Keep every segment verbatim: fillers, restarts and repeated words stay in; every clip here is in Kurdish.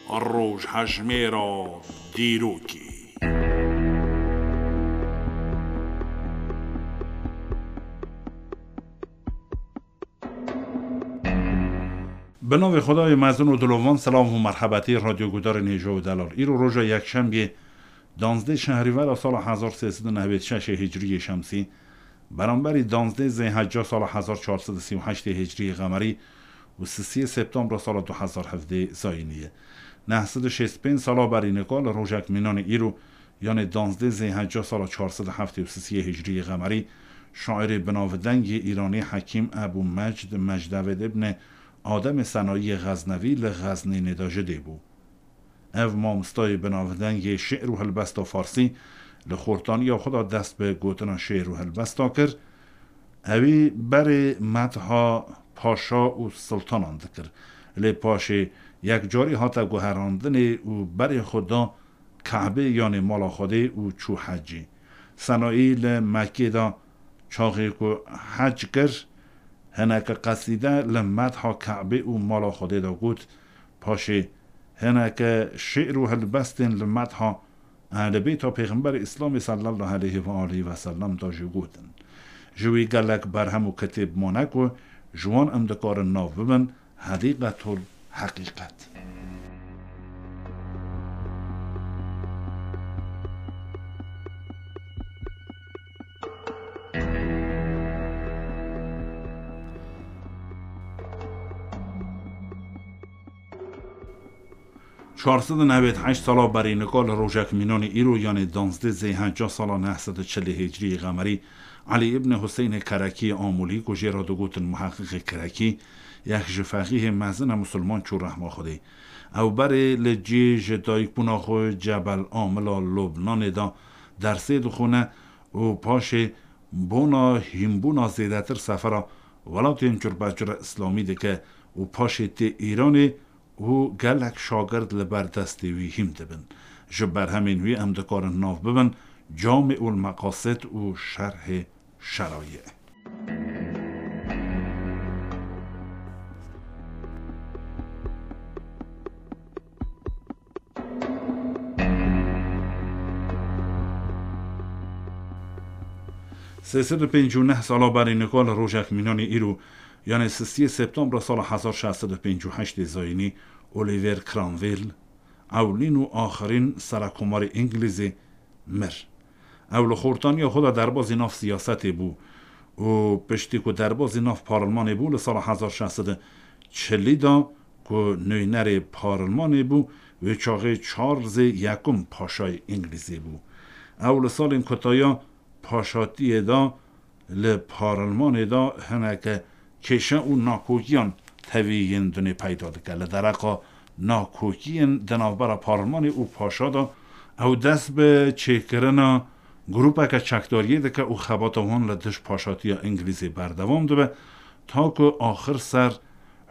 Rojhejmêra dîrokê. Bi navê Xwedayê mezin û dilovan, silav û merhebetî radyogudarên hêja û delal. Îro roja yekşembiyê, danzdeh Şehrîvera sala hezar sê sed û newêd şeşê hicriyê şemsî, beramberî danzdeh Zêhecca sala hezar çar sed û sî û heştê hicriyê qemerî û sisiyê Septembra sala du hezar hevdeh zayînî ye. Neh sed û şêst û pênc sala berî nika li rojek mînanê îro, yanê danzdeh Zêhecca sala çar sed û heftê û sisiyê hicriyê qemerî, şairê binavdengê Îranî Hekîm Ebû Mecd Mecdevêd ibnê Ademê Senayiyê Xeznevî li Xeznînê de ji dê bû. Ev mamostayê binavdengê şi'r û helbesta farsî li xortaniya xwe de dest bi gotina şi'r û helbesta kir. Ewî berê medha paşa û siltanan dikir. Lê paşê yekcarî hate guherandinê û berê xwe da Kebê, yanê mala Xwedê, û çû hecî. Senayî li Mekkê de çaxê ku hec kir, hineke qesîde li medha Kebê û mala Xwedê de got. Paşê hineke şi'r û helbestên li medha Ehlê Beyta Pêxemberê Îslamê sallallahu aleyhi ve aleyhi ve sellem de jî gotin. Ji wî gelek berhem û kitêb mane ku ji wan em dikarin nav bibin, Hedîqetul Heqîqet. Çar sed û newêd heşt sala berî nika li rojek mînanê îro, yanê danzdeh Zêhecca sala neh sed û çilê hicriyê qemerî, Elî îbnê Huseynê Kerekî Amûlî, ku jê re digotin muheqqiqê Kerekî, yek ji feqîhê mezin e musulman, çû rehma Xwedê. Ew berê li cî ji dayikbûna xwe Cebel Amila Lubnanê de dersê dixwine û paşê bona hînbûna zêdetir sefera welatên curbecura Îslamî dike û paşê tê Îranê û gelek şagird li ber destê wî hîn dibin. Ji berhemên wî em dikarin nav bibin Camîul Meqasid û Şerhê Şeraî. Sê sed û pêncî û neh sala berî nika li rojek mînanê îro, yanê sisiyê Septembra sala hezar şeş sed û pêncî û heştê zayînî, Oliver Cromwell, ewlîn û axirîn serekomarê Îngilîzê, mir. Ew li xortaniya xwe de derbazî nav siyasetê bû û piştî ku derbazî nav parlmanê bû, li sala hezar şeş sed û çilî de ku nûnerê parlmanê bû, wê çaxê Charlesê Yekum paşayê Îngilîzê bû. Ew li salên kutaya paşatiyê de li parlmanê de hineke kêşe û nakokiyan tevî yên dinê peyda dike. Li dereqa nakokiyên di navbera parlmanê û paşa de ew dest bi çêkirina grûpeke çekdariyê dike û xebata wan li dij paşatiya Îngilîzê berdewam dibe, ta ku axir ser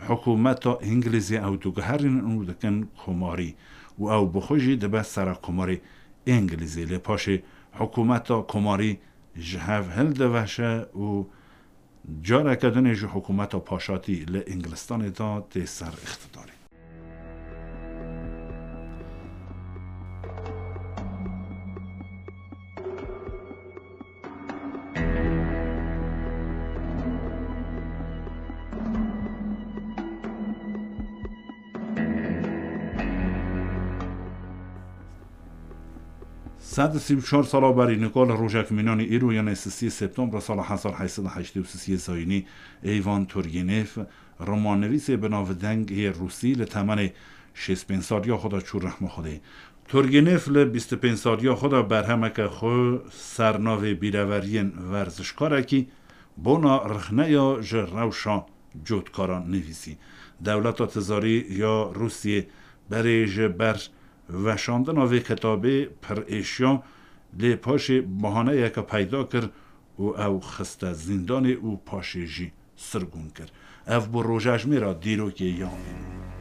hikûmeta Îngilîzê ew diguherînin û dikin komarî û ew bi xwe jî dibe serekomarê Îngilîzê. Lê paşê hikûmeta komarî ji hev hildiveşe û careke din jî hikûmeta paşatî li Îngilistanê de tê ser îqtidarê. Sed û sî û çar sala berî nika li rojek mînanê îro, yanê sisiyê Septembra sala hezar heyt sed û heştê û sisiyê zayînî, Eyvan Turgenev, romannivîsê binavdeng yê Rûsî, li temenê şêst pênc saliya xwe de çû rehma Xwedê. Turgenev li bîst û pênc saliya xwe de berhemeke xwe ser navê Bîreveriyên Werzişkarekî bona rixneya ji rewşa cotkaran nivîsî. Dewleta tizarî ya Rûsiyê berê ji ber veşandina vê kitabê pir êşiya, lê paşê bahaneyeke peyda kir û ew xiste zîndanê û paşê jî sirgûn kir. Ev bû rojejmêra dîrokê ya îro.